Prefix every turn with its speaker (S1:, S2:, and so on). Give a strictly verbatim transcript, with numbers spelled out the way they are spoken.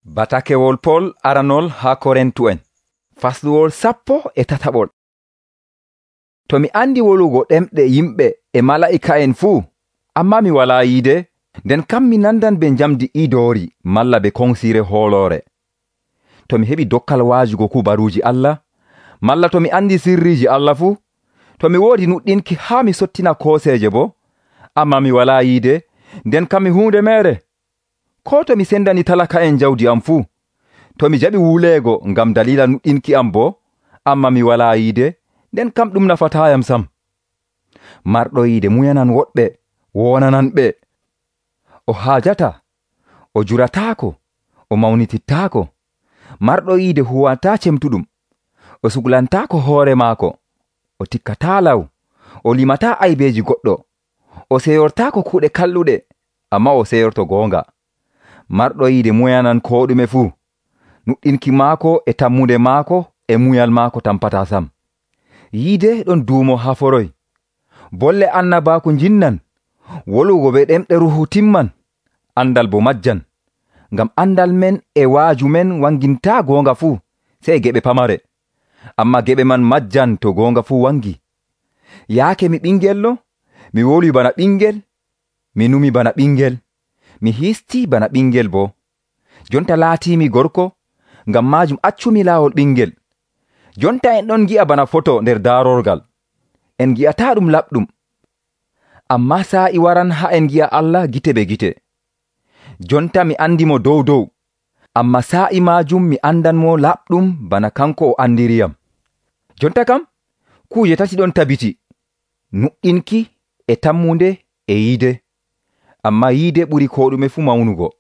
S1: Batakewol Pol aranol ha Korintu'en fasluwol sappo e tataɓol. To mi andi wolugo ɗemɗe yimɓe e mala'ika'en fuu, amma mi walaa yiide, nden kam mi nandan be njamdi idoori malla be konsire hooloore. To mi heɓi dokkal waajugo kubaruuji Allah, malla to mi andi sirriiji Allah fuu, to mi woodi nuɗɗinki haa mi sottina kooseeje bo, amma mi walaa yiide, nden kam mi huunde meere. Ko to mi sendani talaka'en jawdi am fuu, to mi jaɓi wuleego ngam dalila nuɗɗinki am bo, amma mi walaa yiide, nden kam ɗum nafataayam sam. Marɗo yiide muyanan woɗɓe, wonanan ɓe. O haajata, o jurataako, o mawnitittaako. Marɗo yiide huwataa cemtuɗum, o suglantaako hoore maako, o tikkataa law, o limataa aybeeji goɗɗo, o seyortaako kuuɗe kalluɗe, amma o seyorto goonga. Marɗo yiide muyanan koo ɗume fuu, nuɗɗinki maako e tammunde maako e muyal maako tampataa sam. Yiide ɗon duumo haforoy, bolle annabaaku njinnan, wolugo be ɗemɗe ruhu timman, andal bo majjan, ngam andal men e waaju men wangintaa goonga fuu, sey geɓe pamare, amma geɓe man majjan to goonga fuu wangi. Yaake mi ɓingello, mi woli bana ɓingel, mi numi bana ɓingel, mi histii bana ɓingel bo. Jonta laatiimi gorko, ngam maajum accumi laawol ɓingel. Jonta en ɗon gi'a bana foto nder daarorgal, en gi'ataa ɗum laɓɗum. Amma saa'i waran haa en gi'a Allah gite be gite. Jonta mi andi mo dow dow, amma saa'i maajum mi andanmo laɓɗum bana kanko o andiriyam. Jonta kam, kuuje tati ɗon tabiti: nuɗɗinki e tammunde e yiide. Amma yiide ɓuri ko ɗume fuu mawnugo.